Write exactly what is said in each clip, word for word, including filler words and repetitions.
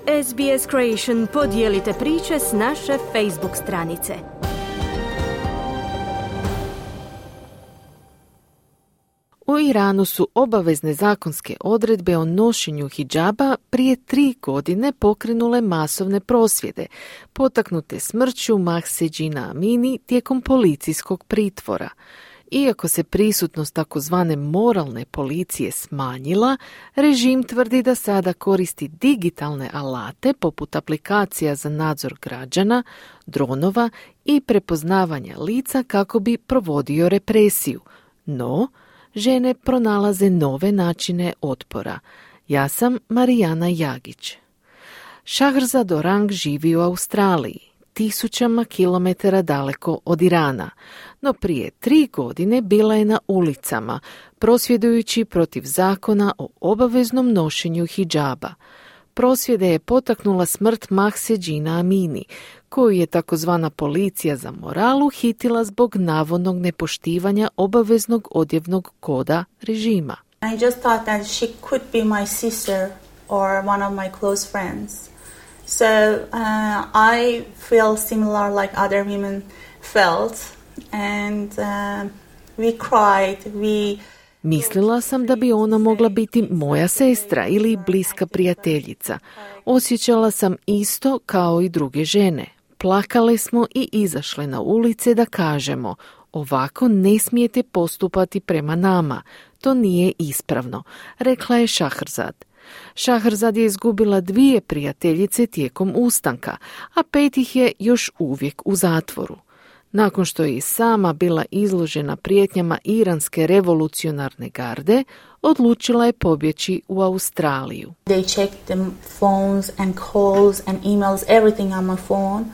S B S Creation podijelite priče s naše Facebook stranice. U Iranu su obavezne zakonske odredbe o nošenju hidžaba prije tri godine pokrenule masovne prosvjede, potaknute smrću Mahse Jina Amini tijekom policijskog pritvora. Iako se prisutnost takozvane moralne policije smanjila, režim tvrdi da sada koristi digitalne alate poput aplikacija za nadzor građana, dronova i prepoznavanja lica kako bi provodio represiju. No, žene pronalaze nove načine otpora. Ja sam Marijana Jagić. Shahrzad Orang živi u Australiji, tisućama kilometara daleko od Irana, no prije tri godine bila je na ulicama, prosvjedujući protiv zakona o obaveznom nošenju hidžaba. Prosvjede je potaknula smrt Mahse Jina Amini, koju je takozvana policija za moral uhitila zbog navodnog nepoštivanja obaveznog odjevnog koda režima. I just thought that she could be my sister or one of my close friends. So uh, I feel similar like other women felt and uh, we cried, we Mislila sam da bi ona mogla biti moja sestra ili bliska prijateljica. Osjećala sam isto kao i druge žene. Plakale smo i izašle na ulice da kažemo: ovako ne smijete postupati prema nama, to nije ispravno, rekla je Shahrzad. Shahrzad je izgubila dvije prijateljice tijekom ustanka, a pet ih je još uvijek u zatvoru. Nakon što je i sama bila izložena prijetnjama iranske revolucionarne garde, odlučila je pobjeći u Australiju. They checked the phones and calls and emails, everything on my phone,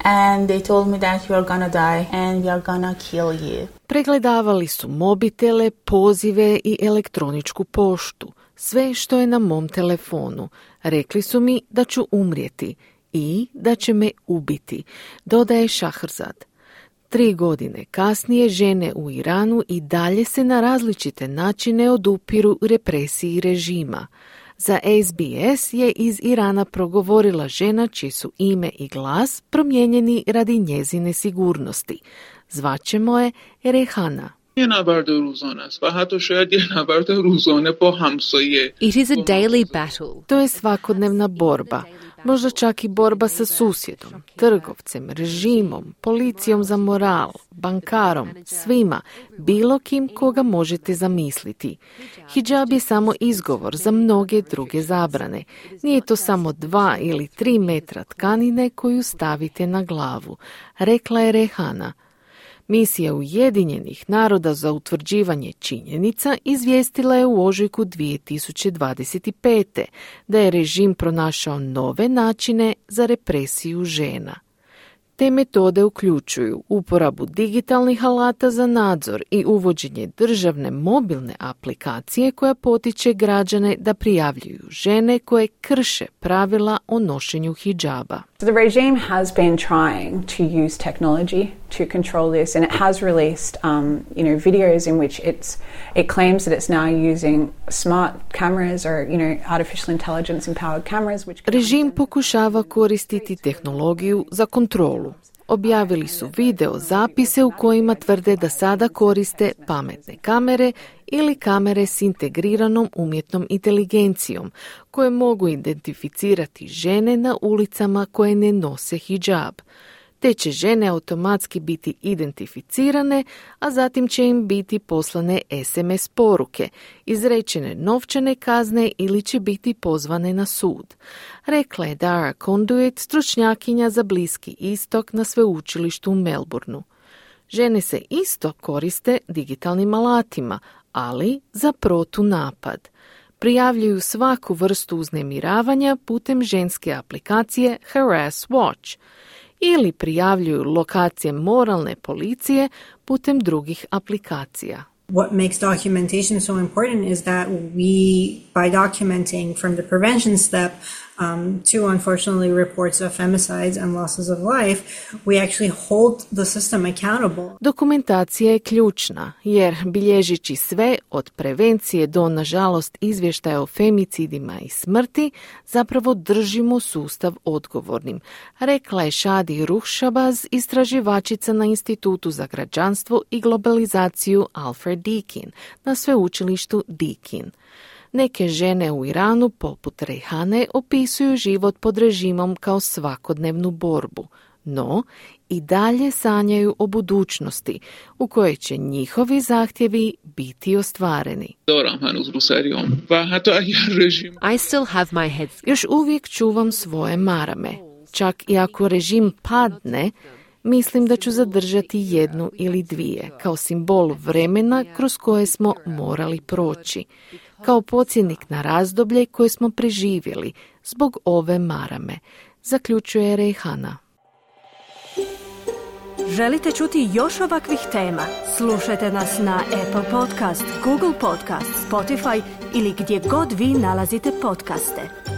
and they told me that you are gonna die and we are gonna kill you. Pregledavali su mobitele, pozive i elektroničku poštu, sve što je na mom telefonu. Rekli su mi da ću umrijeti i da će me ubiti, dodaje Shahrzad. Tri godine kasnije žene u Iranu i dalje se na različite načine odupiru represiji režima. Za S B S je iz Irana progovorila žena čiji su ime i glas promijenjeni radi njezine sigurnosti. Zvaćemo je Rehana. It is a daily battle. To je svakodnevna borba, možda čak i borba sa susjedom, trgovcem, režimom, policijom za moral, bankarom, svima, bilo kim koga možete zamisliti. Hidžab je samo izgovor za mnoge druge zabrane. Nije to samo dva ili tri metra tkanine koju stavite na glavu, rekla je Rehana. Misija Ujedinjenih naroda za utvrđivanje činjenica izvijestila je u ožujku dvije tisuće dvadeset pete. da je režim pronašao nove načine za represiju žena. Te metode uključuju uporabu digitalnih alata za nadzor i uvođenje državne mobilne aplikacije koja potiče građane da prijavljuju žene koje krše pravila o nošenju hidžaba. The regime has been trying to use technology to control this, and it has released, um, you know, videos in which it's it claims that it's now using smart cameras or, you know, artificial intelligence empowered cameras which Režim pokušava koristiti tehnologiju za kontrolu. Objavili su video zapise u kojima tvrde da sada koriste pametne kamere ili kamere s integriranom umjetnom inteligencijom koje mogu identificirati žene na ulicama koje ne nose hidžab. Te će žene automatski biti identificirane, a zatim će im biti poslane S M S poruke, izrečene novčane kazne ili će biti pozvane na sud. Rekla je Dara Conduit, stručnjakinja za Bliski istok na sveučilištu u Melbourneu. Žene se isto koriste digitalnim alatima, ali za protunapad. Prijavljuju svaku vrstu uznemiravanja putem ženske aplikacije Harass Watch ili prijavljuju lokacije moralne policije putem drugih aplikacija. What makes documentation so important is that we, by documenting from the prevention step, um, to unfortunately reports of femicides and losses of life, we actually hold the system accountable. Dokumentacija je ključna, jer bilježići sve od prevencije do, nažalost, izvještaja o femicidima i smrti, zapravo držimo sustav odgovornim, rekla je Shadi Ruhshabaz, istraživačica na Institutu za građanstvo i globalizaciju Alfred Deakin na sveučilištu Deakin. Neke žene u Iranu, poput Rejhane, opisuju život pod režimom kao svakodnevnu borbu, no i dalje sanjaju o budućnosti u kojoj će njihovi zahtjevi biti ostvareni. I still have my head. Još uvijek čuvam svoje marame. Čak i ako režim padne, mislim da ću zadržati jednu ili dvije, kao simbol vremena kroz koje smo morali proći, kao podsjetnik na razdoblje koje smo preživjeli zbog ove marame, zaključuje Rejhana. Želite čuti još ovakvih tema? Slušajte nas na Apple Podcast, Google Podcast, Spotify ili gdje god vi nalazite podcaste.